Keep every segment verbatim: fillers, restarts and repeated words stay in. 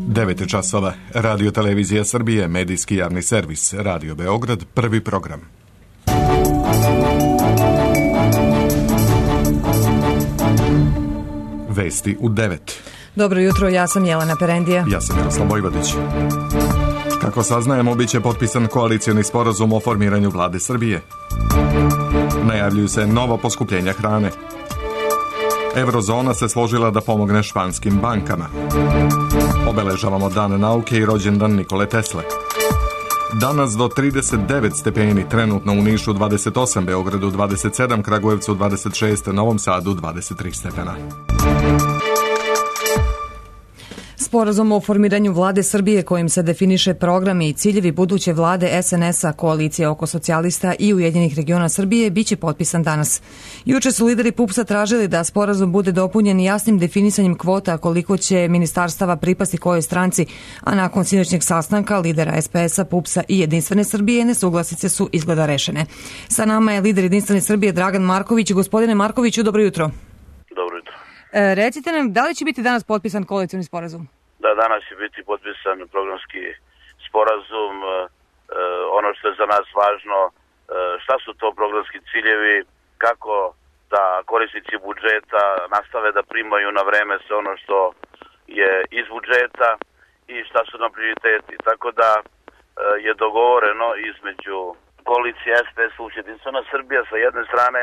devet je časova. Radio Televizija Srbije, medijski javni servis, Radio Beograd, prvi program. Vesti u devet. Dobro jutro, ja sam Jelena Perendija. Ja sam Miroslav Vojvodić. Kako saznajemo, bit će potpisan koalicioni sporazum o formiranju vlade Srbije. Najavljuju se nova poskupljenja hrane. Eurozona se složila da pomogne španskim bankama. Obeležavamo Dan nauke i rođendan Nikole Tesle. Danas do trideset devet stepeni, trenutno u Nišu dvadeset osam, Beogradu dvadeset sedam, Kragujevcu dvadeset šest, Novom Sadu dvadeset tri stepena. Sporazum o formiranju vlade Srbije kojim se definiše programi i ciljevi buduće vlade es en es a, koalicije oko socijalista i Ujedinjenih regiona Srbije, biće potpisan danas. Juče su lideri pupsa tražili da sporazum bude dopunjen jasnim definisanjem kvota koliko će ministarstava pripasti kojoj stranci, a nakon sinoćnjeg sastanka lidera es pe es a, pupsa i Jedinstvene Srbije nesuglasice su izgleda rešene. Sa nama je lider Jedinstvene Srbije Dragan Marković. Gospodine Markoviću, dobro jutro. Dobro jutro. E, recite nam, da li će biti danas potpisan koalicioni sporazum? Da, danas će biti potpisan programski sporazum. E, ono što je za nas važno, e, šta su to programski ciljevi, kako da korisnici budžeta nastave da primaju na vreme sve ono što je iz budžeta i šta su nam prioriteti. Tako da e, je dogovoreno između koalicije es pe es Jedinstvena Srbija sa jedne strane,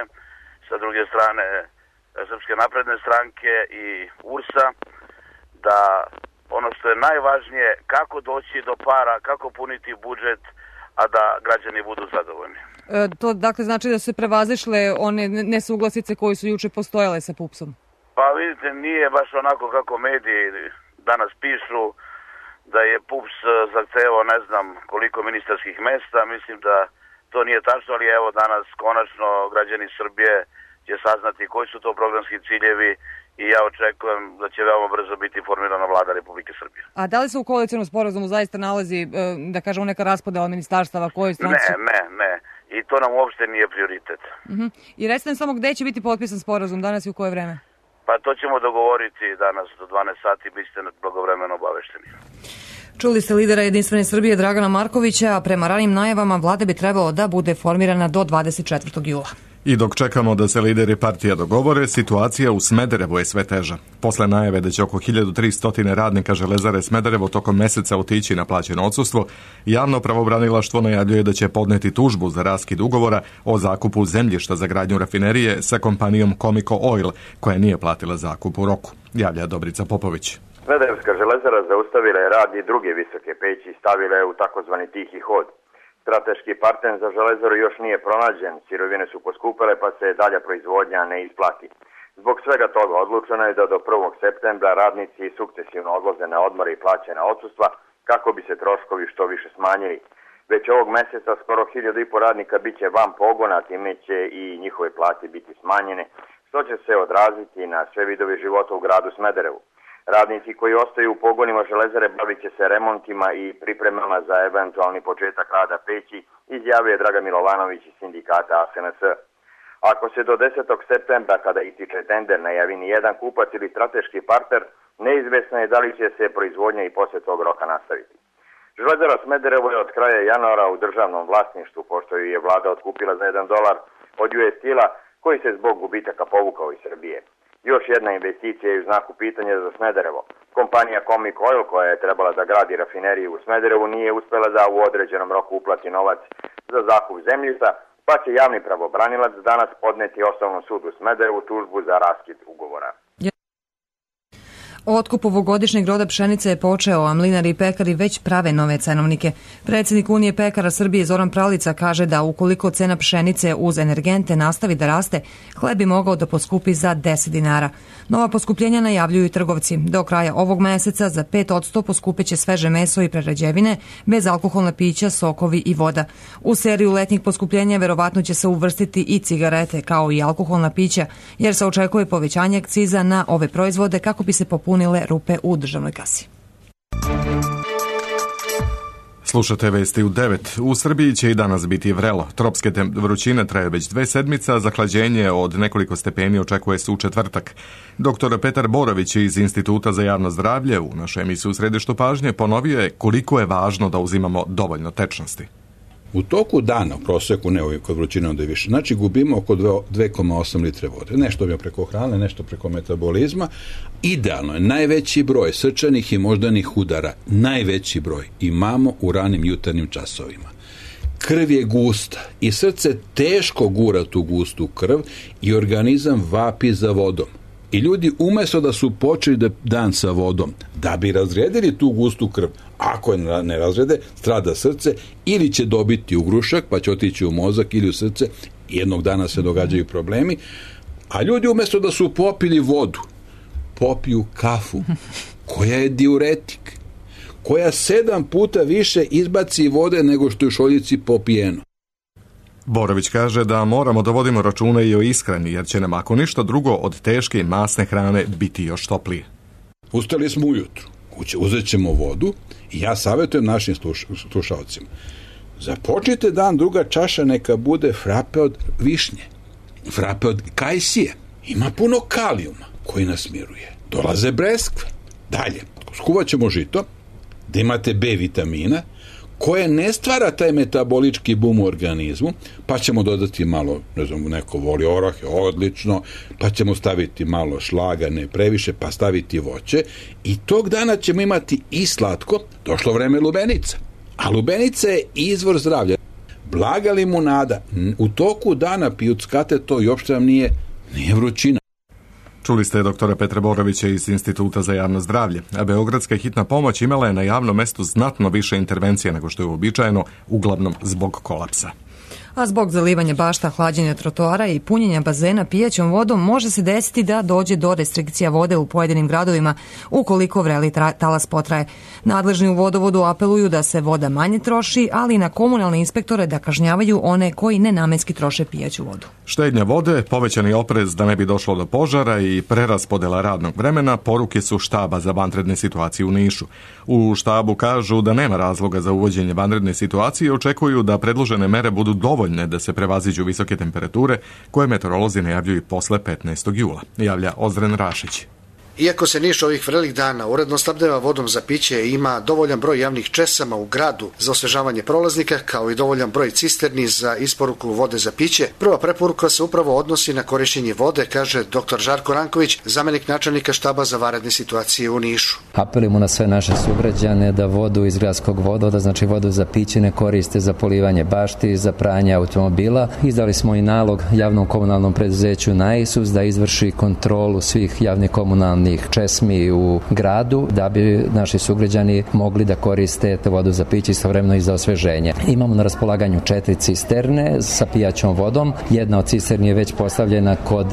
sa druge strane Srpske napredne stranke i u er es a, da ono što je najvažnije, kako doći do para, kako puniti budžet, a da građani budu zadovoljni. E, to dakle znači da se prevazišle one nesuglasice koje su juče postojale sa pupsom? Pa vidite, nije baš onako kako mediji danas pišu, da je pups zahtevao ne znam koliko ministarskih mesta. Mislim da to nije tačno, ali evo danas konačno građani Srbije će saznati koji su to programski ciljevi i ja očekujem da će veoma brzo biti formirana vlada Republike Srbije. A da li se u koalicionom sporazumu zaista nalazi, da kažemo, neka raspodela ministarstava koje stranci? Ne, ne, ne. I to nam uopšte nije prioritet. Uh-huh. I recite nam samo gde će biti potpisan sporazum danas i u koje vreme? Pa to ćemo dogovoriti danas do dvanaest sati, biste blagovremeno obavešteni. Čuli ste lidera Jedinstvene Srbije Dragana Markovića, a prema ranim najavama vlada bi trebalo da bude formirana do dvadeset četvrtog jula. I dok čekamo da se lideri partija dogovore, situacija u Smederevu je sve teža. Posle najave da će oko hiljadu tristo radnika Železare Smederevo tokom meseca otići na plaćeno odsustvo, javno pravobranilaštvo najavljuje da će podneti tužbu za raskid ugovora o zakupu zemljišta za gradnju rafinerije sa kompanijom Comico Oil, koja nije platila zakup u roku, javlja Dobrica Popović. Smederevska železara zaustavila je rad i druge visoke peći i stavila je u takozvani tihi hod. Strateški partner za železaru još nije pronađen, sirovine su poskupele pa se dalja proizvodnja ne isplati. Zbog svega toga odlučeno je da do prvog septembra radnici sukcesivno odlaze na odmore i plaćena odsustva kako bi se troškovi što više smanjili. Već ovog meseca skoro hiljadu i po radnika bit će van pogona, time će i njihove plate biti smanjene, što će se odraziti na sve vidove života u gradu Smederevu. Radnici koji ostaju u pogonima železare bavit će se remontima i pripremama za eventualni početak rada peći, izjavio je Dragan Milovanović iz sindikata a es en es. Ako se do desetog septembra, kada ističe tender, najavi ni jedan kupac ili strateški partner, neizvesno je da li će se proizvodnja i posle tog roka nastaviti. Železara Smederevo je od kraja januara u državnom vlasništvu, pošto ju je vlada otkupila za jedan dolar od ju es Steel-a, koji se zbog gubitaka povukao iz Srbije. Još jedna investicija je u znaku pitanja za Smederevo. Kompanija Comico Oil, koja je trebala da gradi rafineriju u Smederevu, nije uspela da u određenom roku uplati novac za zakup zemljišta, pa će javni pravobranilac danas podneti Osnovnom sudu u Smederevu tužbu za raskid ugovora. Otkup ovogodišnjeg roda pšenice je počeo, a mlinari i pekari već prave nove cenovnike. Predsjednik Unije pekara Srbije Zoran Pralica kaže da ukoliko cena pšenice uz energente nastavi da raste, hleb bi mogao da poskupi za deset dinara. Nova poskupljenja najavljuju i trgovci. Do kraja ovog meseca za pet posto poskupeće sveže meso i prerađevine, bezalkoholna pića, sokovi i voda. U seriju letnjih poskupljenja verovatno će se uvrstiti i cigarete kao i alkoholna pića, jer se očekuje povećanje akciza na ove proizvode kako bi se popunile rupe u državnoj kasi. Slušate vesti u devet. U Srbiji će i danas biti vrelo. Tropske vrućine traje već dve sedmice, a zahlađenje od nekoliko stepeni očekuje se u četvrtak. Doktor Petar Borović iz Instituta za javno zdravlje u našoj emisiji U središtu pažnje ponovio je koliko je važno da uzimamo dovoljno tečnosti. U toku dana, u proseku, ne uvijek kod vrućine onda je više, znači gubimo oko dve zarez osam litre vode. Nešto je preko hrane, nešto preko metabolizma. Idealno je najveći broj srčanih i moždanih udara, najveći broj imamo u ranim jutarnjim časovima. Krv je gusta i srce teško gura tu gustu krv i organizam vapi za vodom. I ljudi umjesto da su počeli da dan sa vodom, da bi razredili tu gustu krv, ako je ne razrede, strada srce ili će dobiti ugrušak pa će otići u mozak ili u srce, jednog dana se događaju problemi, a ljudi umjesto da su popili vodu, popiju kafu, koja je diuretik, koja sedam puta više izbaci vode nego što je u šoljici popijeno. Borović kaže da moramo da vodimo računa i o ishrani, jer će nam ako ništa drugo od teške i masne hrane biti još toplije. Ustali smo ujutru, uzet ćemo vodu i ja savjetujem našim slušalcima. Započnite dan, druga čaša neka bude frape od višnje, frape od kajsije. Ima puno kalijuma koji nas miruje. Dolaze breskve. Dalje, skuvat ćemo žito, da imate B vitamina, koje ne stvara taj metabolički bum u organizmu, pa ćemo dodati malo, ne znam, neko voli orahe, odlično, pa ćemo staviti malo šlaga, ne previše, pa staviti voće i tog dana ćemo imati i slatko, došlo vreme lubenica. A lubenica je izvor zdravlja. Blaga limunada, u toku dana pijuckate to i uopšte nam nije, nije vrućina. Čuli ste doktora Petra Borovića iz Instituta za javno zdravlje, a beogradska hitna pomoć imala je na javnom mestu znatno više intervencije nego što je uobičajeno, uglavnom zbog kolapsa. A zbog zalivanja bašta, hlađenja trotoara i punjenja bazena pijaćom vodom može se desiti da dođe do restrikcija vode u pojedinim gradovima ukoliko vreli talas potraje. Nadležni u vodovodu apeluju da se voda manje troši, ali i na komunalne inspektore da kažnjavaju one koji nenamenski troše pijaću vodu. Štednja vode, povećani oprez da ne bi došlo do požara i preraspodela radnog vremena poruke su štaba za vanredne situacije u Nišu. U štabu kažu da nema razloga za uvođenje vanredne situacije i očekuju da predložene mere budu dovoljne da se prevaziđu visoke temperature koje meteorolozi najavljuju posle petnaestog jula, javlja Ozren Rašić. Iako se Niš ovih vrelih dana uredno snabdeva vodom za piće i ima dovoljan broj javnih česama u gradu za osvežavanje prolaznika, kao i dovoljan broj cisterni za isporuku vode za piće, prva preporuka se upravo odnosi na korišćenje vode, kaže doktor Žarko Ranković, zamenik načelnika štaba za vanredne situacije u Nišu. Apelujemo na sve naše sugrađane da vodu iz gradskog vodovoda, znači vodu za piće, ne koriste za polivanje bašti, za pranje automobila. Izdali smo i nalog javnom komunalnom preduzeću Naisus da izvrši kontrolu svih javnih komunalnih česmi u gradu da bi naši sugrađani mogli da koriste vodu za piće istovremeno i za osveženje. Imamo na raspolaganju četiri cisterne sa pijaćom vodom. Jedna od cisterni je već postavljena kod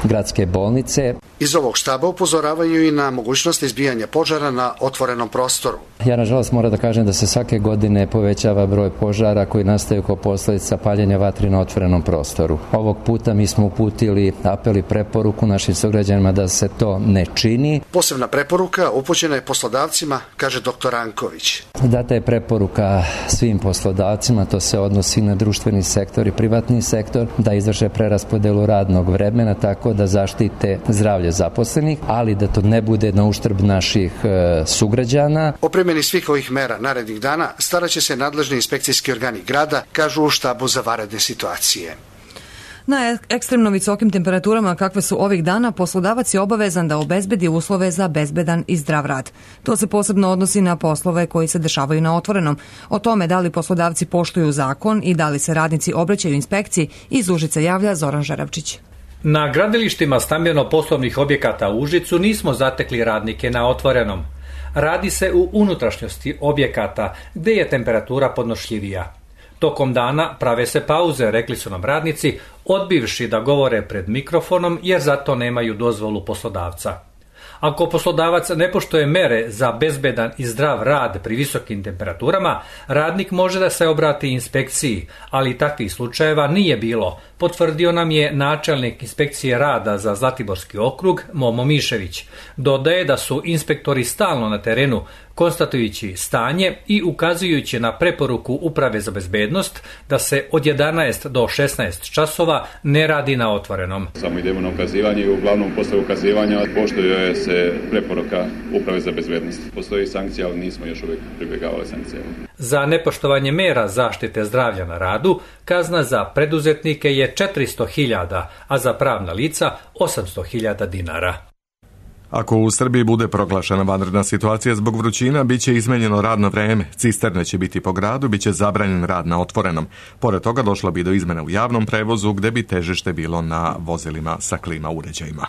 gradske bolnice. Iz ovog štaba upozoravaju i na mogućnost izbijanja požara na otvorenom prostoru. Ja nažalost moram da kažem da se svake godine povećava broj požara koji nastaju kao posljedica paljenja vatri na otvorenom prostoru. Ovog puta mi smo uputili apel i preporuku našim sugrađanima da se to ne čini. Posebna preporuka upućena je poslodavcima, kaže doktor Ranković. Data je preporuka svim poslodavcima, to se odnosi na društveni sektor i privatni sektor, da izvrše preraspodelu radnog vremena tako da zaštite zdravlje zaposlenih, ali da to ne bude na uštrb naših e, sugrađana. O primjeni svih ovih mera narednih dana staraće se nadležni inspekcijski organi grada, kažu u štabu za vanredne situacije. Na ekstremno visokim temperaturama kakve su ovih dana, poslodavac je obavezan da obezbedi uslove za bezbedan i zdrav rad. To se posebno odnosi na poslove koji se dešavaju na otvorenom. O tome da li poslodavci poštuju zakon i da li se radnici obraćaju inspekciji, iz Užica javlja Zoran Žeravčić. Na gradilištima stambeno-poslovnih objekata u Užicu nismo zatekli radnike na otvorenom. Radi se u unutrašnjosti objekata gdje je temperatura podnošljivija. Tokom dana prave se pauze, rekli su nam radnici, odbivši da govore pred mikrofonom jer za to nemaju dozvolu poslodavca. Ako poslodavac ne poštuje mere za bezbedan i zdrav rad pri visokim temperaturama, radnik može da se obrati inspekciji, ali takvih slučajeva nije bilo, potvrdio nam je načelnik inspekcije rada za Zlatiborski okrug Momo Mišević. Dodaje da su inspektori stalno na terenu, konstatujući stanje i ukazujući na preporuku Uprave za bezbednost da se od jedanaest do šesnaest časova ne radi na otvorenom. Samo idemo na ukazivanje i uglavnom posle ukazivanja poštuje se preporuka Uprave za bezbednost. Postoji sankcija, ali nismo još uvijek pribjegavali sankcije. Za nepoštovanje mera zaštite zdravlja na radu kazna za preduzetnike je četiristo hiljada, a za pravna lica osamsto hiljada dinara. Ako u Srbiji bude proglašena vanredna situacija zbog vrućina, bit će izmenjeno radno vreme, cisterne će biti po gradu, bit će zabranjen rad na otvorenom. Pored toga došlo bi do izmena u javnom prevozu, gde bi težište bilo na vozilima sa klima uređajima.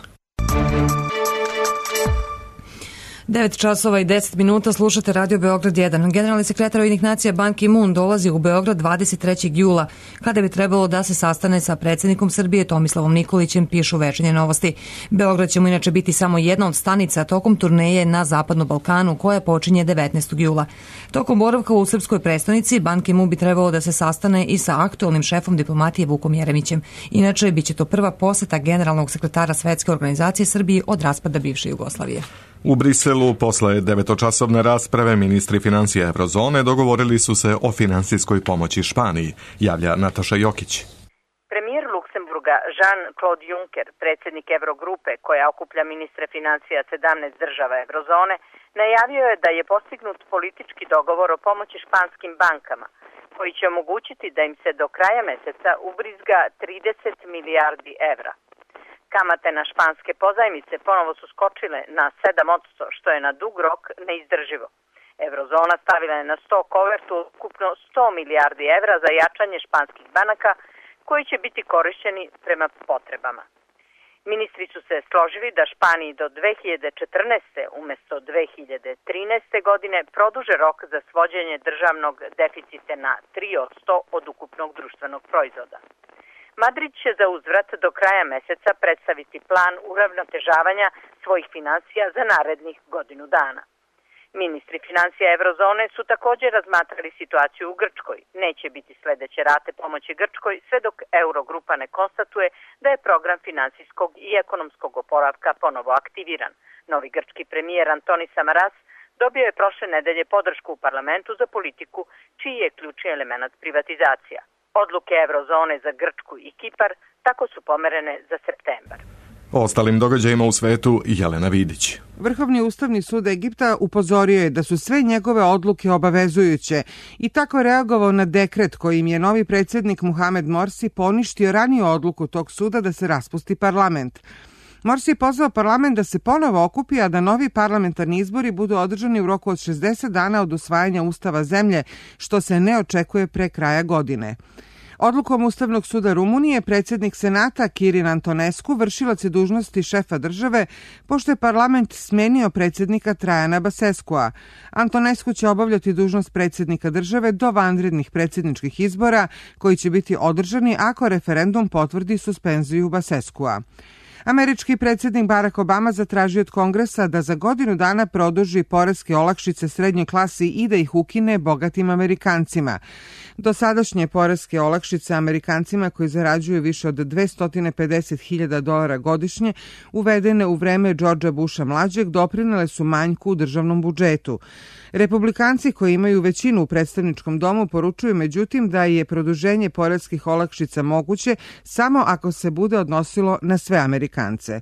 devet časova i deset minuta, slušate Radio Beograd jedan. Generalni sekretar Ujedinjenih nacija Ban Ki-moon dolazi u Beograd dvadeset trećeg jula, kada bi trebalo da se sastane sa predsjednikom Srbije Tomislavom Nikolićem, pišu Večernje novosti. Beograd će mu inače biti samo jedna od stanica tokom turneje na Zapadnom Balkanu, koja počinje devetnaestog jula. Tokom boravka u srpskoj prestonici, Ban Ki-moon bi trebalo da se sastane i sa aktualnim šefom diplomatije Vukom Jeremićem. Inače, bit će to prva poseta generalnog sekretara Svetske organizacije Srbiji od raspada bivše Jugoslavije. U Briselu, posle devetočasovne rasprave, ministri financija Eurozone dogovorili su se o finansijskoj pomoći Španiji, javlja Nataša Jokić. Premijer Luksemburga Jean-Claude Juncker, predsjednik Eurogrupe koja okuplja ministre financija sedamnaest država Eurozone, najavio je da je postignut politički dogovor o pomoći španskim bankama, koji će omogućiti da im se do kraja meseca ubrizga trideset milijardi evra. Kamate na španske pozajmice ponovo su skočile na sedam posto, što je na dug rok neizdrživo. Eurozona stavila je na sto kovertu ukupno sto milijardi evra za jačanje španskih banaka, koji će biti korišćeni prema potrebama. Ministri su se složili da Španiji do dve hiljade četrnaeste. umjesto dve hiljade trinaeste. godine produže rok za svođenje državnog deficita na tri posto od ukupnog društvenog proizvoda. Madrid će za uzvrat do kraja meseca predstaviti plan uravnotežavanja svojih financija za narednih godinu dana. Ministri financija Eurozone su također razmatrali situaciju u Grčkoj. Neće biti sljedeće rate pomoći Grčkoj sve dok Eurogrupa ne konstatuje da je program financijskog i ekonomskog oporavka ponovo aktiviran. Novi grčki premijer Antonis Samaras dobio je prošle nedelje podršku u parlamentu za politiku čiji je ključni element privatizacija. Odluke Eurozone za Grčku i Kipar tako su pomerene za septembar. O ostalim događajima u svetu Jelena Vidić. Vrhovni ustavni sud Egipta upozorio je da su sve njegove odluke obavezujuće i tako reagovao na dekret kojim je novi predsjednik Muhamed Morsi poništio raniju odluku tog suda da se raspusti parlament. Morsi je pozvao parlament da se ponovo okupi, a da novi parlamentarni izbori budu održani u roku od šezdeset dana od usvajanja ustava zemlje, što se ne očekuje pre kraja godine. Odlukom Ustavnog suda Rumunije, predsjednik Senata Kirin Antonescu vršilac je dužnosti šefa države, pošto je parlament smenio predsjednika Trajana Baseskua. Antonescu će obavljati dužnost predsjednika države do vanrednih predsjedničkih izbora, koji će biti održani ako referendum potvrdi suspenziju Baseskua. Američki predsjednik Barack Obama zatražio od Kongresa da za godinu dana produži poreske olakšice srednjoj klasi i da ih ukine bogatim Amerikancima. Dosadašnje poreske olakšice Amerikancima koji zarađuju više od dvesta pedeset hiljada dolara godišnje, uvedene u vreme Georgea Busha mlađeg, doprinele su manjku u državnom budžetu. Republikanci koji imaju većinu u predstavničkom domu poručuju međutim da je produženje poreskih olakšica moguće samo ako se bude odnosilo na sve Amerikance.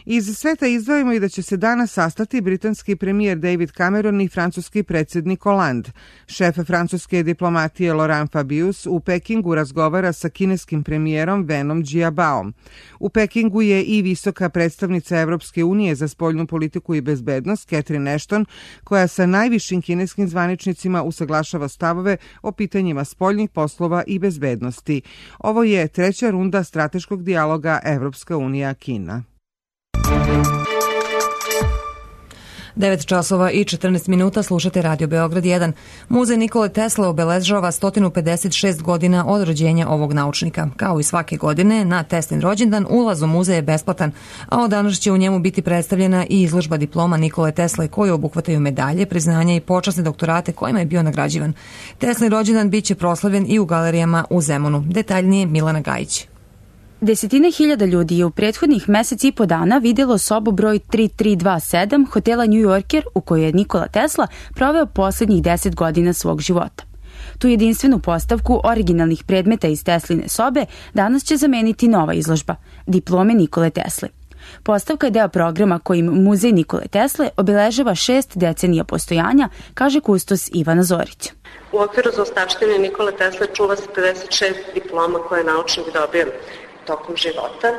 Iz sveta izdvojimo i da će se danas sastati britanski premijer David Cameron i francuski predsjednik Hollande. Šef francuske diplomatije Laurent Fabius u Pekingu razgovara sa kineskim premijerom Wenom Jiabaom. U Pekingu je i visoka predstavnica Evropske unije za spoljnu politiku i bezbednost Catherine Ashton, koja sa najvišim kineskim zvaničnicima usaglašava stavove o pitanjima spoljnih poslova i bezbednosti. Ovo je treća runda strateškog dijaloga Evropska unija-Kina. devet časova i četrnaest minuta, slušate Radio Beograd jedan. Muzej Nikole Tesle obeležava sto pedeset šest godina od rođenja ovog naučnika. Kao i svake godine, na Teslin rođendan ulaz u muzej je besplatan, a od danas će u njemu biti predstavljena i izložba diploma Nikole Tesle koje obuhvataju medalje, priznanja i počasne doktorate kojima je bio nagrađivan. Teslin rođendan biće proslavljen i u galerijama u Zemunu. Detaljnije Milana Gajić. Desetine hiljada ljudi je u prethodnih mesec i po dana videlo sobu broj tri tri dva sedam hotela New Yorker u kojoj je Nikola Tesla proveo poslednjih deset godina svog života. Tu jedinstvenu postavku originalnih predmeta iz Tesline sobe danas će zameniti nova izložba, diplome Nikole Tesle. Postavka je deo programa kojim Muzej Nikole Tesle obeležava šest decenija postojanja, kaže kustos Ivana Zorić. U okviru zaostavštine Nikole Tesle čuva se pedeset šest diploma koje je naučnik dobio tokom života.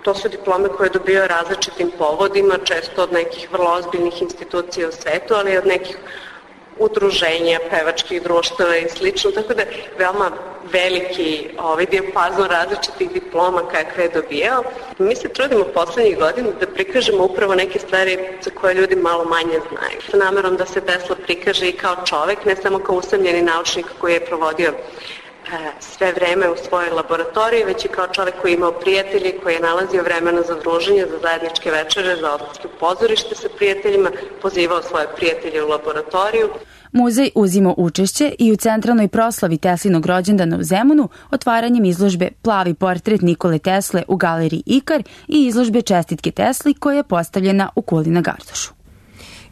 To su diplome koje je dobio različitim povodima, često od nekih vrlo ozbiljnih institucija u svetu, ali i od nekih udruženja, pevačkih društava i slično, tako da je veoma veliki ovaj dijapazon različitih diploma kakve je dobijao. Mi se trudimo poslednjih godina da prikažemo upravo neke stvari za koje ljudi malo manje znaju. Sa namerom da se Tesla prikaže i kao čovek, ne samo kao usamljeni naučnik koji je provodio sve vreme u svojoj laboratoriji, već i kao čovek koji je imao prijatelji, koji je nalazio vremena za druženje, za zajedničke večere, za odlaske u pozorište sa prijateljima, pozivao svoje prijatelje u laboratoriju. Muzej uzima učešće i u centralnoj proslavi Teslinog rođendana u Zemunu otvaranjem izložbe Plavi portret Nikole Tesle u galeriji Ikar i izložbe Čestitke Tesli koja je postavljena u Kuli na Gardušu.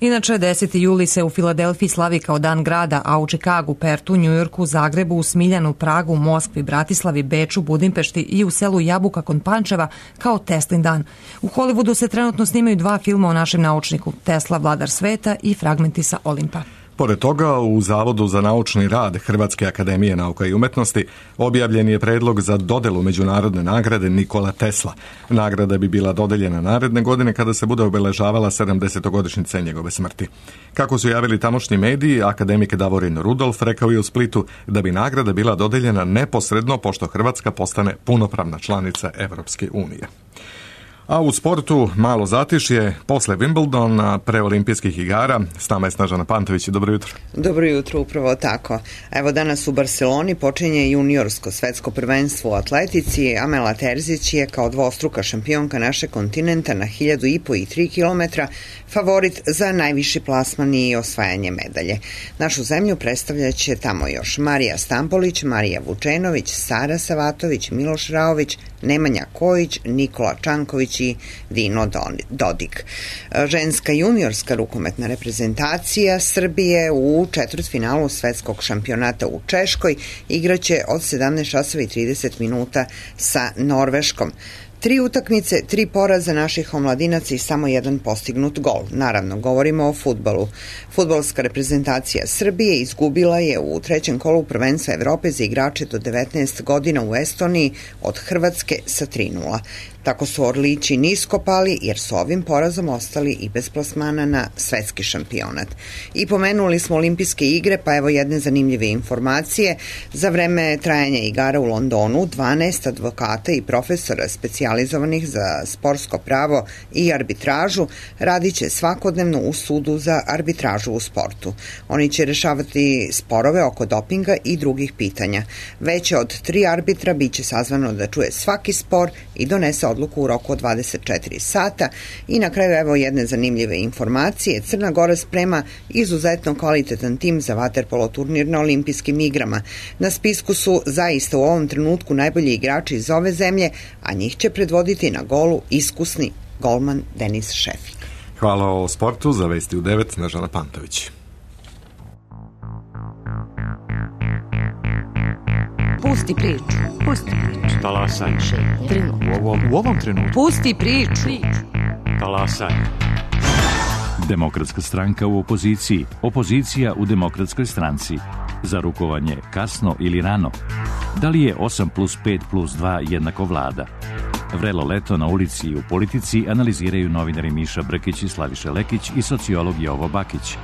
Inače, deseti juli se u Filadelfiji slavi kao dan grada, a u Čikagu, Pertu, Njujorku, Zagrebu, u Smiljanu, Pragu, Moskvi, Bratislavi, Beču, Budimpešti i u selu Jabuka kod Pančeva kao Teslin dan. U Hollywoodu se trenutno snimaju dva filma o našem naučniku, Tesla, vladar sveta i Fragmenti sa Olimpa. Pored toga, u Zavodu za naučni rad Hrvatske akademije nauka i umetnosti objavljen je predlog za dodelu međunarodne nagrade Nikola Tesla. Nagrada bi bila dodeljena naredne godine kada se bude obeležavala sedamdesetogodišnjica njegove smrti. Kako su javili tamošnji mediji, akademik Davorin Rudolf rekao je u Splitu da bi nagrada bila dodeljena neposredno pošto Hrvatska postane punopravna članica Evropske unije. A u sportu malo zatišje posle Wimbledona pre olimpijskih igara. S nama je Snežana Pantović. Dobro jutro. Dobro jutro, upravo tako. Evo danas u Barceloni počinje juniorsko svetsko prvenstvo u atletici. Amela Terzić je kao dvostruka šampionka našeg kontinenta na hiljadu i po i tri kilometra favorit za najviši plasman i osvajanje medalje. Našu zemlju predstavljaće tamo još Marija Stampolić, Marija Vučenović, Sara Savatović, Miloš Raović, Nemanja Kojić, Nikola Čanković i Dino Dodik. Ženska juniorska rukometna reprezentacija Srbije u četvrtfinalu svetskog šampionata u Češkoj igraće od sedamnaest časova i trideset minuta sa Norveškom. Tri utakmice, tri poraza naših omladinaca i samo jedan postignut gol. Naravno, govorimo o fudbalu. Fudbalska reprezentacija Srbije izgubila je u trećem kolu prvenstva Evrope za igrače do devetnaest godina u Estoniji od Hrvatske sa tri nula. Tako su Orlići nisko pali jer su ovim porazom ostali i bez plasmana na svetski šampionat. I pomenuli smo olimpijske igre, pa evo jedne zanimljive informacije. Za vreme trajanja igara u Londonu dvanaest advokata i profesora specijalizovanih za sportsko pravo i arbitražu radit će svakodnevno u sudu za arbitražu u sportu. Oni će rešavati sporove oko dopinga i drugih pitanja. Veće od tri arbitra biće sazvano da čuje svaki spor i donese odluku u roku od dvadeset četiri sata. I na kraju evo jedne zanimljive informacije. Crna Gora sprema izuzetno kvalitetan tim za vaterpolo turnir na olimpijskim igrama. Na spisku su zaista u ovom trenutku najbolji igrači iz ove zemlje, a njih će predvoditi na golu iskusni golman Denis Šefik. Hvala o sportu, za vesti u devet, Snežana Pantović. Pusti priču. Pusti priču. Talasaj. U ovom, u ovom trenutku. Pusti priču. Talasaj. Demokratska stranka u opoziciji. Opozicija u Demokratskoj stranci. Za rukovanje kasno ili rano. Da li je osam plus pet plus dva jednako vlada? Vrelo leto na ulici i u politici analiziraju novinari Miša Brkić i Slaviša Lekić i sociolog Jovo Bakić.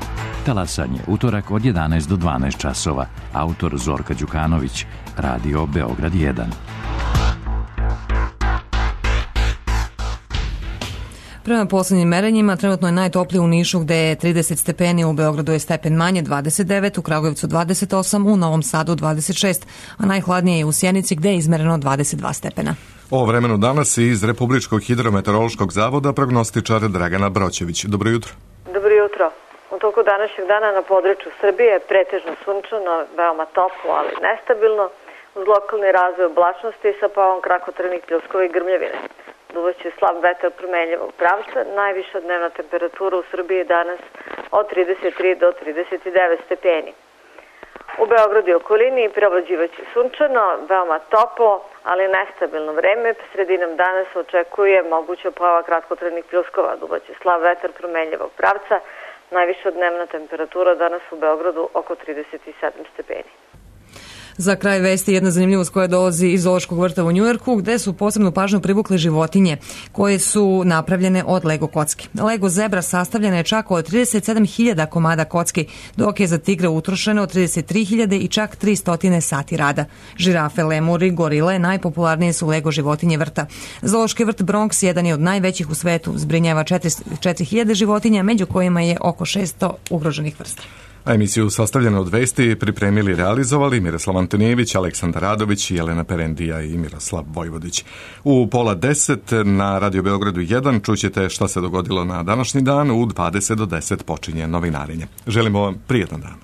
Talasanje, utorak od jedanaest do dvanaest časova. Autor Zorka Đukanović. Radio Beograd jedan. Prema posljednjim merenjima, trenutno je najtoplije u Nišu gde je trideset stepeni, u Beogradu je stepen manje dvadeset devet, u Kragujevcu dvadeset osam, u Novom Sadu dvadeset šest, a najhladnije je u Sjenici gde je izmereno dvadeset dva stepena. O vremenu danas iz Republičkog hidrometeorološkog zavoda prognostičar Dragana Broćević. Dobro jutro. Dobro jutro. U toku današnjeg dana na području Srbije je pretežno sunčano, veoma toplo, ali nestabilno, uz lokalni razvoj oblačnosti sa pojavom kratkotrajnih pljuskova i grmljavine. Duvaće slab vetar promenljivog pravca, najviša dnevna temperatura u Srbiji danas od trideset tri do trideset devet stepeni. U Beogradu i okolini prevlađivaće sunčano, veoma toplo, ali nestabilno vreme. Sredinom dana se očekuje moguća pojava kratkotrajnih pljuskova. Duvaće slab vetar promenljivog pravca, najviša dnevna temperatura danas u Beogradu oko trideset sedam stepeni. Za kraj vesti jedna zanimljivost koja dolazi iz Zoološkog vrta u Njujorku, gde su posebnu pažnju privukle životinje koje su napravljene od Lego kocki. Lego zebra sastavljena je čak od trideset sedam hiljada komada kocki, dok je za tigra utrošeno trideset tri hiljade i čak tristo sati rada. Žirafe, lemuri, gorile najpopularnije su Lego životinje vrta. Zoološki vrt Bronx jedan je od najvećih u svetu, zbrinjava četiri hiljade životinja, među kojima je oko šesto ugroženih vrsta. A emisiju sastavljeno od vesti pripremili i realizovali Miroslav Antonijević, Aleksandar Radović, Jelena Perendija i Miroslav Vojvodić. U pola deset na Radio Beogradu jedan čućete šta se dogodilo na današnji dan, u dvadeset do deset počinje novinarenje. Želimo vam prijetan dan.